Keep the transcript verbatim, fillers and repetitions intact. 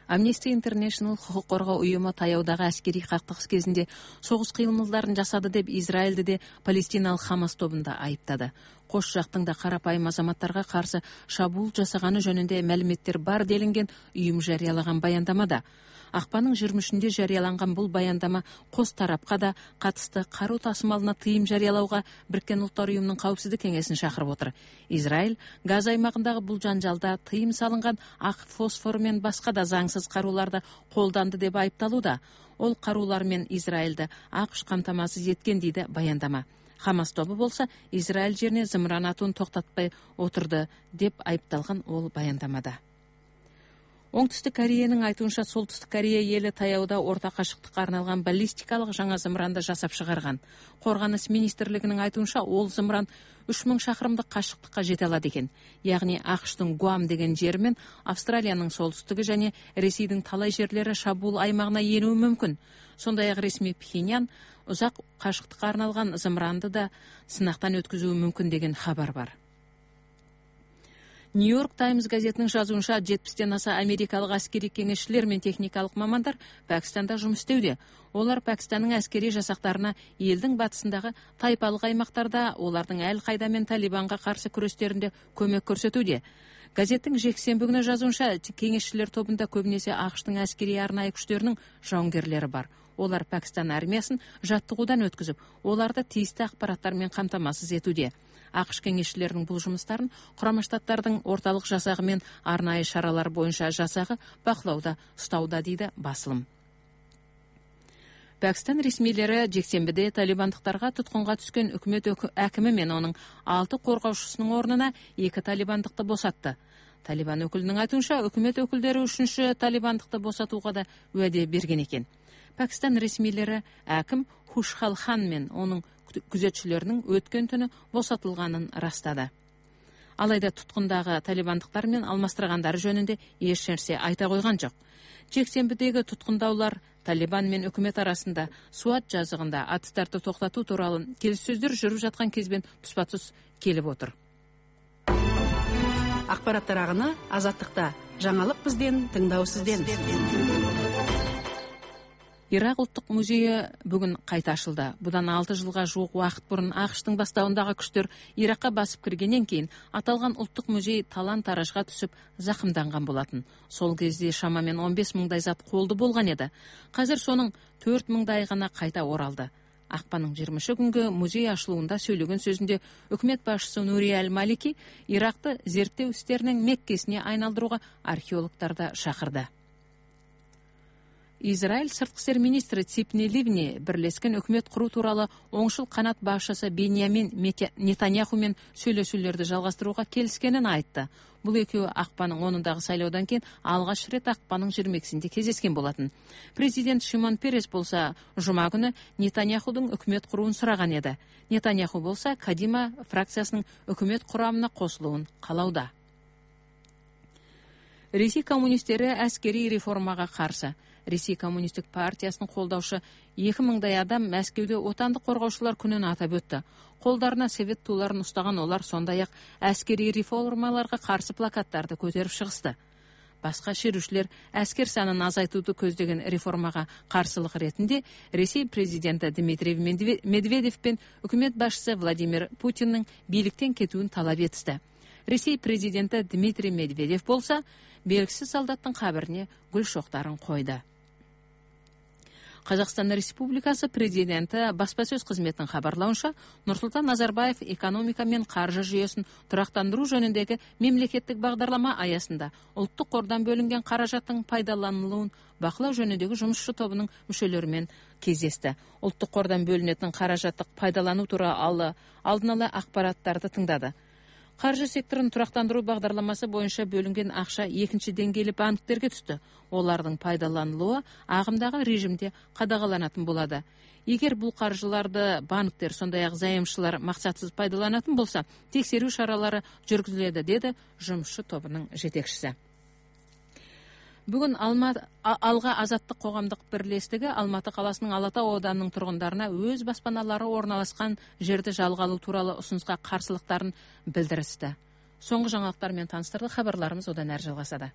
Amnesty International хукук коргоо уюму таяудагы аскерий кактыгыс кезинде согуш кыймылдарын жасады деп Израилди де палестиналык Хамас тобун да айыптады. Кош жактың да карапайым азаматтарга каршы шабуул жасаганы жөнүндө маалыметтер бар делинген уюм жарыялаган баяндамада. Акпандын жыйырма үчүндө жарыяланган бул баяндама кос тарапка да катысты каруу тасымалына тыйым жарыялауга Бириккен Улуттар уюмунун коопсуздук кеңесин чакырып отур. Израиль Газа аймагындагы бул жанжалда тыйым салынган ак фосфор менен башка да заңсыз карууларды колданды деп айыпталууда. Ол каруулар менен Израилди АКШ камтамасыз эткен дейди баяндама. Хамас тобу болсо Израиль жерине зымыран атуун токтотпой отурду деп айыпталган ол баяндамада. Оңтүстүк Кореянын айтуунча Солтүстүк Корея эли таяуда орто кашыктыкка арналган баллистикалык жаңа зымыранды жасап чыгарган. Коргонуш министрлигинин айтуунча ол зымыран үч миң шакырымдык кашыктыкка жете алат экен. Ягни АКШтын Гуам деген жери менен Австралиянын солтүстүгү жана Ресейдин талай жерлери шабуул аймагына энүү мүмкүн. Сондай эле ресми Пхеньян узак кашыктыкка арналган зымыранды да сынактан өткүзүү мүмкүн деген хабар бар. Нью-Йорк Таймс газетинин жазуунча жетимден аса америкалык аскерий кеңешчилер менен техникалык мамандар Пакистанда жумуш истеуде. Олар Пакистандын аскерий жасактарына элдин батысындагы тайпалык аймактарда олардын ал кайда менен Талибанга каршы күрөштөрүндө көмөк көрсөтүүдө. Газеттин жексенби күнү жазуунча кеңешчилер тобунда көбүнесе АКШтын аскерий арнайы күчтөрүнүн жауынгерлери бар. Олар Пакистан армиясын жаттыгуудан өткүзүп, оларды тийиштүү акпараттар менен камтамасыз этүүдө. АКШ кеңешчилеринин бул жумуштарын Курама Штаттардын орталык жасагы менен арнайы шаралар боюнча жасагы бакылауда ұстауда дейди басылым. Пакистан ресмилери жексенбиде талибандыктарга туткунга түскөн өкмөт акими менен анын алты коргоочусунун ордуна эки талибандыкты босатты. Талибан өкүлүнүн айтуунча өкмөт өкүлдөрү үчүнчү талибандыкты босатууга да уаде берген экен. Пакистан ресмилери аким Хушхал Хан менен анын күзөтчүлөрүнүн өткөн түнү босотулганын ырастады. Алайда туткундагы талибандыктар менен алмаштыргандары жөнүндө эч нерсе айта койгон жок. Жексенбидеги туткундаулар Талибан менен өкмөт арасында Суат жазыгында атыстарды токтотуу тууралуу келиссөздөр жүрүп жаткан кезбен туспа-туз келип отур. Акпараттар агыны Азаттыкта. Жаңылык бизден, тыңдоо сизден. Ирак улуттук музейи бүгүн кайта ачылды. Будан алты жылга жуук убакыт мурун АКШтын баштабындагы күчтөр Иракка басып киргенден кийин аталган улуттук музей талан-таражга түшүп закымданган болотун. Сол кезде шамамен он беш миңдай зат колду болгон эди. Азыр сонун төрт миңдай гана кайта оралды. Акпанын жыйырма үчү күнгө музей ачылуунда сөйлөгөн сөзүндө өкмөт башчысы Нури Аль-Малики Иракты зерттөө иштеринин Меккесине айналдырууга археологдорду чакырды. Израиль сырткы иштер министри Ципни Ливни бирлешкен өкмөт куруу тууралуу оңшул канат башчысы Беньямин Нетаньяху менен сүйлөшүүлөрдү жалгастырууга келишкенин айтты. Бул экөө акпанын онундагы шайлоодон кийин алгач рет акпанын жыйырма экисинде кездешкен болотун. Президент Шимон Перес болсо жума күнү Нетаньяхудун өкмөт куруун сураган эди. Нетаньяху болсо Кадима фракциясынын өкмөт курамына кошулуун каалауда. Ресей коммунисттери аскерий реформага каршы. Ресей коммунисттик партиясынын колдоушу эки миңдай адам Мәскеуде отандык коргоочулар күнүн атап өттү. Колдарына совет тууларын устаган олар сондай ак аскерий реформаларга каршы плакаттарды көтөрүп чыгышты. Башка шерүүчүлөр аскер санын азайтууду көздөгөн реформага каршылык ретинде Ресей президенти Дмитрий Медведев менен өкмөт башчысы Владимир Путиндин бийликтен кетүүн талап этти. Ресей президенти Дмитрий Медведев болсо белгисиз солдаттын кабирине гүл шоктарын койду. Казакстан Республикасы президенти баспасөз кызметинин хабарлауынча, Нурсултан Назарбаев экономика менен каржы жүйөсүн турактандыруу жөнүндөгү мемлекеттик багдарлама аясында улуттук кордон бөлүнгөн каражаттын пайдаланылуун бакылоо жөнүндөгү жумушчу тобунун мүчөлөрү менен кездешти. Улуттук кордон бөлүнөтүн каражаттык пайдалануу тууралуу алдын ала акпараттарды тыңдады. Каржы секторун турактандыруу багдарламасы боюнча бөлүнгөн акча экинчи деңгээлүү банктерге түштү. Олардын пайдаланылуу агымдагы режимде кадагаланатын болот. Эгер бул каржыларды банктер, сондай ак займчылар максатсыз пайдаланатын болсо, текшерүү чаралары жүргүзүлөт, деди жумушчу тобунун жетекчиси. Бүгүн Алга азаттык коомдук бирлештиги Алматы каласынын Ала Тоо ауданынын тургундарына өз баспаналары орналашкан жерди жалга алуу тууралуу усунуска каршылыктарын билдиришти. Соңку жаңылыктар менен таныштырдык. Кабарларыбыз одан ары жалгасады.